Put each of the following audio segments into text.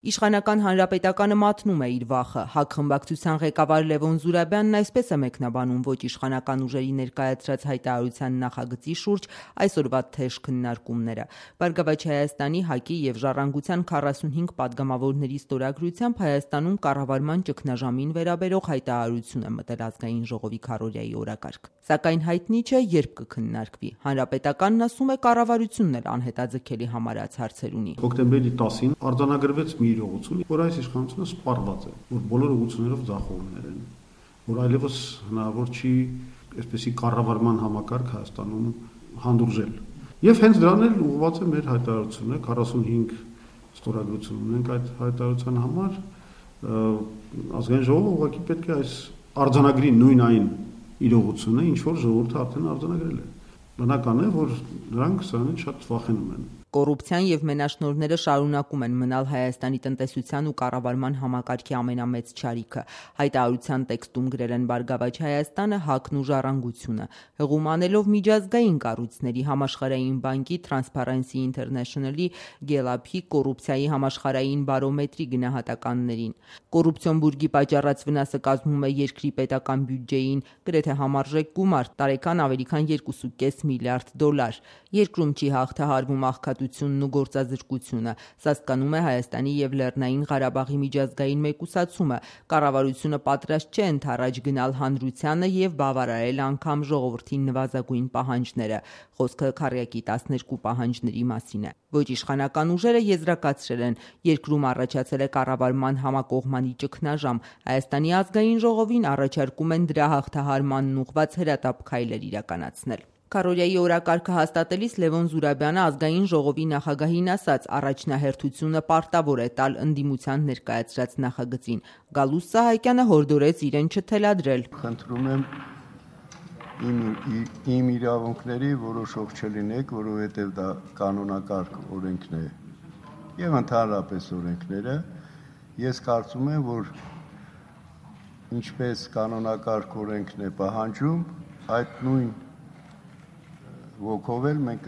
Իշխանական հանրապետականը մատնում է իր վախը։ ՀԱԿ խմբակցության ղեկավար Լևոն Զուրաբյանն այսպես է մեկնաբանում ոչ իշխանական ուժերի ներկայացրած հայտարարության նախագծի շուրջ այսօրվա թեժ քննարկումները։ Բարգավաճ Հայաստանի, ՀԱԿ-ի եւ Ժառանգության 45 падգամավորների ստորագրությամբ Հայաստանում կառավարման ճգնաժամին վերաբերող հայտարարություն է մտել ազգային ժողովի քարոզիայի օրակարգ։ Սակայն հայտնի չէ, երբ կքննարկվի։ Հանրապետականն ասում է կառավարությունն էլ անհետաձգելի համարած հարցեր ունի։ Հոկտեմբերի 10-ին արձանագրվեց մի իրողություն, որ այս իշխանությունը սպառված է, որ բոլոր ուղղություններով ձախողումներ են, որ այլևս հնարավոր չի այսպեսի կառավարման համակարգ Հայաստանում հանդուրժել։ Եվ հենց դրան էլ ուղղված է մեր հայտարարությունը, 45 ստորագրություն ունենք այդ հայտարարության համար, ազգային ժողովը ուղղակի պետք է այս արձանագրի նույն այն իրողությունը, ինչ որ ժողովուրդը արդեն արձանագրել է։ Բնական է, որ նրանք սրանից շատ վախենում են։ Կոռուպցիան եւ մենաշնորհները շարունակում են մնալ Հայաստանի տնտեսության ու կառավարման համակարգի ամենամեծ չարիքը։ Հայտարարության տեքստում գրել են Բարգավաճ Հայաստանը, ՀԱԿ-ն ու Ժառանգությունը, հղում անելով միջազգային կառույցների, Համաշխարհային բանկի, Transparency International-ի, Gallup-ի, կոռուպցիայի համաշխարհային բարոմետրի գնահատականներին։ Կոռուպցիոն բուրգի պատճառած վնասը կազմում է երկրի պետական բյուջեին գրեթե համարժեք գումար՝ տարեկան ավելի քան $2.5 միլիարդ։ Երկրում չի հաղթահարվում աղքատությունն ու գործազրկությունը։ Սասկանում է Հայաստանի եւ Լեռնային Ղարաբաղի միջազգային մեկուսացումը։ Կառավարությունը պատրաստ չէ ընդառաջ գնալ հանրությանը եւ բավարարել անգամ ժողովրդի նվազագույն պահանջները։ Խոսքը քառյակի 12 պահանջների մասին է։ Ոչ իշխանական ուժերը եզրակացրել են, երկրում առաջացել է կառավարման համակողմանի ճգնաժամ։ Հայաստանի ազգային ժողովին առաջարկում են դրա հաղթահարմանն ուղղված հրատապ քայլեր իրականացնել։ Քարոզիայի օրակարգը հաստատելիս Լևոն Զուրաբյանը ազգային ժողովի նախագահին ասաց, առաջնահերթությունը պարտավոր է տալ ընդդիմության ներկայացրած նախագծին։ Գալուստ Սահակյանը հորդորեց իրեն չթելադրել։ Խնդրում եմ իմ իրավունքների որոշող չլինեք, որովհետև դա կանոնակարգ օրենքն է եւ ընդհանրապես օրենքները։ Ես կարծում եմ, որ ինչպես կանոնակարգ օրենքն է պահանջում, այդ նույն ոգով էլ մենք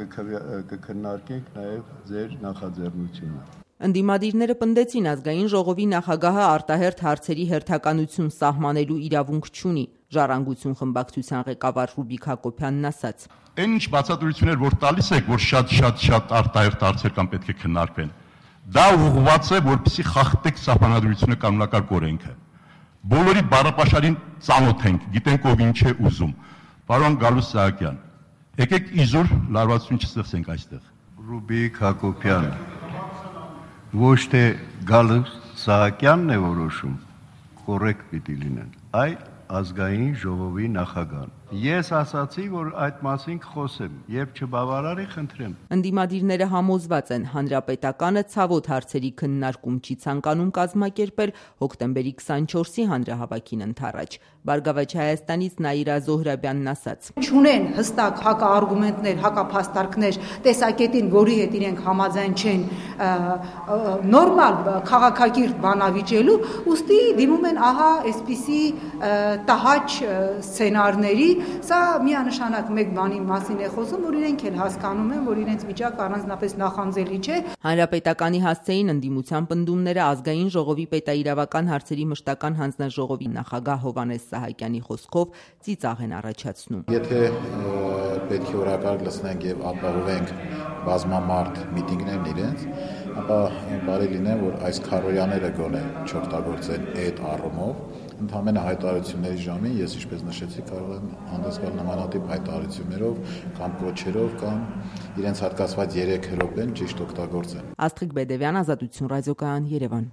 կքննարկենք նաև ձեր նախաձեռնությունը։ Ընդդիմադիրները պնդեցին ազգային ժողովի նախագահը արտահերթ հարցերի հերթականություն սահմանելու իրավունք չունի։ Ժառանգություն խմբակցության ղեկավար Ռուբիկ Հակոբյանն ասաց. Այն ինչ բացատրություններ որ տալիս եք, որ շատ արտահերթ հարցեր կան պետք է քննարկվեն, դա ուղղված է, որպեսզի խախտեք սահմանադրությունը կանոնակարգ օրենքը։ Բոլորի բառապաշարին ծանոթ ենք, գիտենք ով ինչ է ուզում։ Պարոն Գալուստ Սահակյան, եկեք իզուր լարվածություն չստեղծենք այստեղ։ Ռուբիկ Հակոբյան, ոչ թե Գալուստ Սահակյանն է որոշում, կոռեկտ պիտի լինեն, այլ ազգային ժողովի նախագահան։ Ես ասացի, որ այդ մասին կխոսեմ, երբ չբավարարի, խնդրեմ։ Ընդդիմադիրները համոզված են, հանրապետականը ցավոտ հարցերի քննարկում չի ցանկանում կազմակերպել հոկտեմբերի 24-ի հանրահավաքին ընդառաջ։ Բարգավաճ Հայաստանից Նաիրա Զոհրաբյանն ասաց. Չունեն հստակ հակաարգումենտներ, հակափաստարկներ, տեսակետին, որի հետ իրենք համաձայն չեն նորմալ քաղաքակիրթ բանավիճելու, ուստի դիմում են ահա այսպիսի տհաճ սցենարների։ Սա միանշանակ մեկ բանի մասին է խոսում, որ իրենք էլ հասկանում են, որ իրենց վիճակը առանձնապես նախանձելի չէ։ Հանրապետականի հասցեին ընդդիմության պնդումները ազգային ժողովի պետաիրավական հարցերի մշտական հանձնաժողովի նախագահ Հովհաննես Սահակյանի խոսքով ծիծաղ են առաջացնում։ Եթե պետք է օրակարգ լցնենք եւ ապահովենք բազմամարդ միտինգներն իրենց, ապա բարի լինի, որ այս քարոզիաները գոնե չօգտագործեն այդ առումով։ Ընդհանրապես հայտարարությունների ժամին ես ինչպես նշեցի կարող եմ հանդես գալ նմանատիպ հայտարարություններով կամ կոչերով կամ իրենց հատկացված 3 րոպեն ճիշտ օգտագործեն։ Աստղիկ Բեդևյան, Ազատություն ռադիոկայան, Երևան։